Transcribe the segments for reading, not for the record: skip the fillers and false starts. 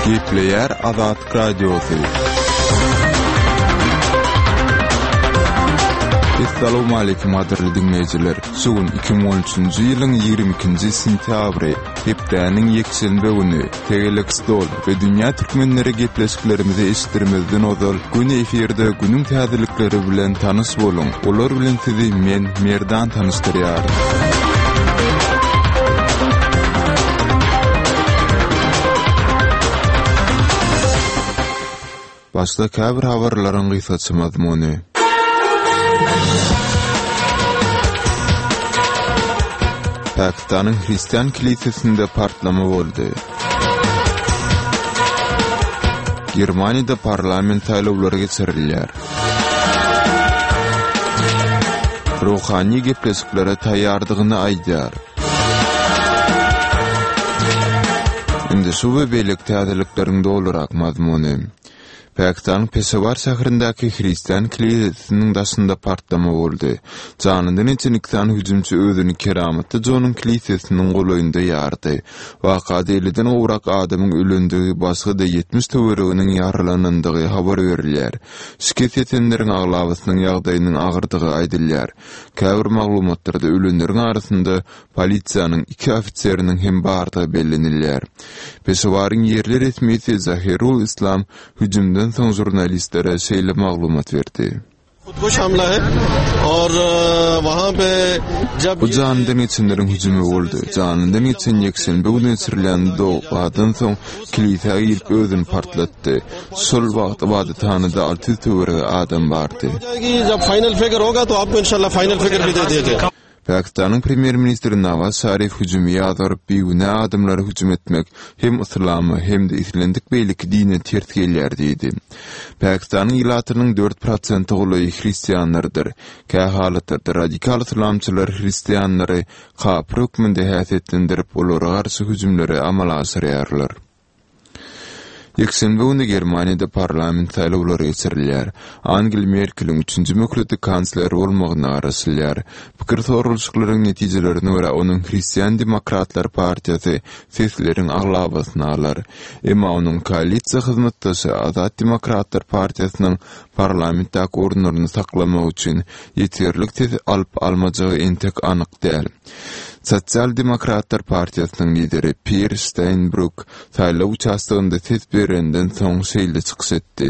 Gepleýär Azatlyk Radiosy. Essalawmaleýkim gadyrly diňleýjiler! Şu gün 2013-nji ýylyň 22-nji sentýabry, hepdäniň ýekşenbe güni. Tegelek stol we Dünýä türkmenleri gepleşiklerimizi eşitdirmezden ozal, göni efirde günüň täzelikleri bilen tanyş boluň! Olar bilen sizi men, Merdan tanyşdyrýaryn. Başda käbir habarlaryň gysgaça mazmuny. Pakistanyň hristian kilisesinde partlama boldy. Germaniýada parlament saýlawlary geçirilýär. Ruhani gepleşiklere taýýardygyny aýdýar. Indi şu we beýleki täzelikleriň dolurak mazmuny. Pakistanyň Peşewar şäherindäki hristian kilisesiniň daşynda partlama boldy. Janyndan geçen iki sany hüjümçi özüni Keramatly Jonyň kilisesiniň golaýynda ýardy. Wakada elliden gowrak adamyň ölendigi, başga-da 70 töwereginiň ýaralanandygy habar berilýär. Şikes ýetenleriň aglabasynyň ýagdaýynyň agyrdygy aýdylýar. Käbir maglumatlarda ölenleriň arasynda polisiýanyň iki ofiseriniň hem bardygy bellenilýär. Peşewaryň ýerli resmisi Zahirul Islam hüjümden soň žurnalistlere şeýle maglumat berdi. Bu janyndan geçenleriň hüjümi boldy. Janyndan geçen ýekşenbe güni geçirilen dogadan soň kilisä girip özüni partlatdy. Şol wagt ybadathanada 600 töweregi adam bardy. Pakistanyň premýer-ministri Nawaz Şarif hüjümi ýazgaryp, bigünä adamlara hüjüm etmek hem yslama, hem-de islendik beýleki dine ters gelýär diýdi. Pakistanyň ilatynyň dört prosente golaýy hristianlardyr. Kähalatlarda radikal yslamçylar hristianlary kapyr hökmünde häsiýetlendirip, olara garşy hüjümleri amala aşyrýarlar. Ýekşenbe güni Germaniýada parlament saýlawlary geçirilýär. Angel Merkeliň üçünji möhlete kansler bolmagyna garaşylýar. Pikir soralyşyklaryň netijelerine görä, onuň Hristian demokratlar partiýasy sesleriň aglabasyny alar. Emma onuň koalisiýa hyzmatdaşy Azat demokratlar partiýasynyň parlamentdäki orunlaryny saklamak üçin ýeterlik ses alyp-almajagy entek anyk däl. Sosial-demokratlar partiýasynyň lideri Pir Şteýnbruk saýlaw uçastogynda ses berenden soň şeýle çykyş etdi.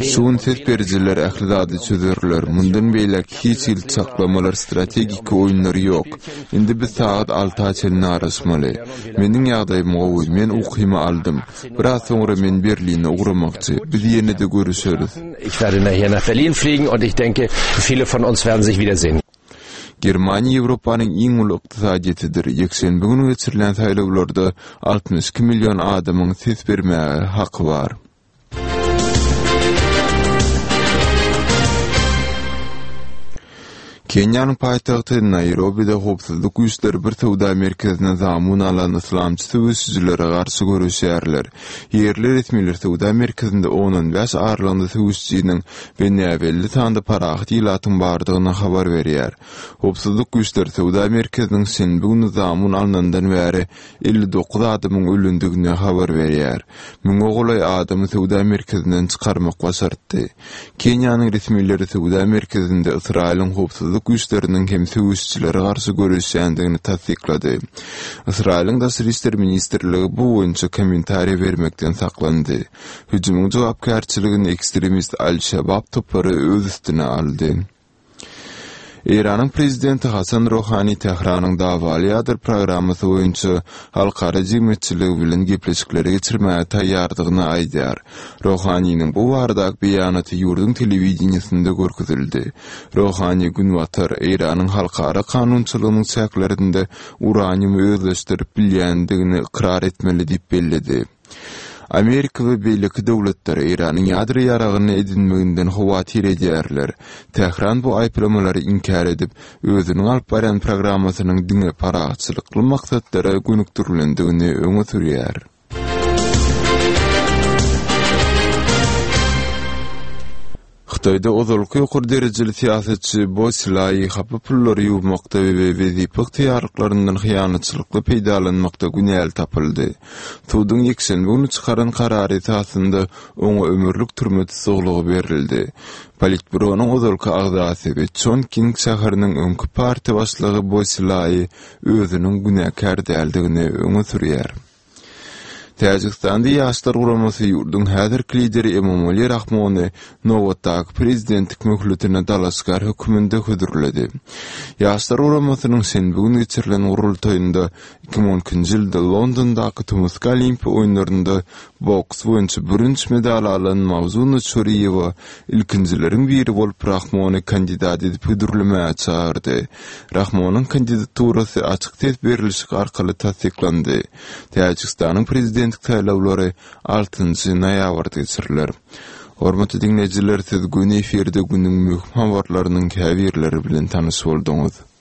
Şu gün ses berijiler ähli zady çözerler. Mundan beýläk hiç hili çaklamalar, strategiki oýunlar ýok. Indi biz sagat alta çenli garaşmaly. Meniň ýagdaýym gowy, men ukymy aldym. Biraz soňra men Berline ugramakçy. Biz ýene-de görüşeris. Ich werde nachher nach Berlin fliegen und ich denke, viele von uns werden sich wiedersehen. Germaniýa Ýewropanyň iň uly ykdysadyýetidir. Ýekşenbe güni geçirilen saýlawlarda 62 million adamyň ses bermäge haky bar. Keniýanyň paýtagty Naýrobide howpsuzlyk güýçleri bir söwda merkezine zamun alan yslamçy söweşijilere garşy göreşýärler. Ýerli resmiler söwda merkezinde on-on bäş aralygynda söweşijiniň we näbelli sanda parahat ilatyň bardygyny habar berýär. Howpsuzlyk güýçleri söwda merkeziniň şenbe güni zamun alnandan bäri 59 adamyň ölendigini habar berýär. Müňe golaý adamy söwda merkezinden çykarmak başartdy. Keniýanyň resmileri söwda merkezinde Ysraýylyň howpsuzlyk güýçleriniň hem söweşijilere garşy göreşýändigini tassyklady. Ysraýylyň Daşary işler ministrligi bu boýunça kommentariýa bermekden saklandy. Hüjümiň jogapkärçiligini ekstremist Al-Şabab topary öz üstüne aldy. Eýranyň prezidenti Hasan Rohani Tähranyň dawaly ýadro programmasy boýunça halkara jemgyýetçiligi bilen gepleşikleri geçirmäge taýýardygyny aýdýar. Rohaniniň bu baradaky beýanaty ýurduň telewideniýesinde görkezildi. Rohani Günbatar Eýranyň halkara kanunçylygynyň çäklerinde uraniumy özleşdirip bilýändigini ykrar etmeli diýip belledi. Amerika we beýleki döwletler Eýranyň ýadro ýaragyny edinmeginden howatyr edýärler. Tähran bu aýyplamalary inkär edip, özüniň alyp barýan programmasynyň diňe parahatçylykly maksatlara gönükdirilendigini öňe sürýär. Hytaýda ozalky ýokary derejeli syýasatçy Bo Silai hapa pullary ýuwmakda we wezipe ygtyýarlyklaryndan hyýanatçylykly peýdalanmakda günäli tapyldy. Suduň ýekşenbe güni çykaran karary esasynda oňa ömürlik türme tussaglygy berildi. Politbüronyň ozalky agzasy we Çonking şäheriniň öňki partiýa başlygy Bo Silai özüniň günäkär däldigini öňe sürýär. Täjigistanda Ýaşlar guramasy ýurduň häzirki lideri Emomali Rahmony nobatdaky prezidentlik möhletine dalaşgär hökmünde hödürledi. Ýaşlar guramasynyň şenbe güni geçirilen gurultaýynda 2012-nji ýylda Londondaky tomusky Olimpiýa oýunlarynda boks boýunça bürünç medal alan Mawzuna Çoriýewa ilkinjileriň biri bolup Rahmony kandidat edip hödürlemäge çagyrdy. Rahmonyň kandidaturasy açyk ses berlişik arkaly tassyklandy. Täjigistanyň prezidentlik saýlawlary altynjy noýabrda geçiriler. Hormatly diňleýjiler, siz göni efirde günüň möhüm habarlarynyň käbirleri bilen tanyş bolduňyz.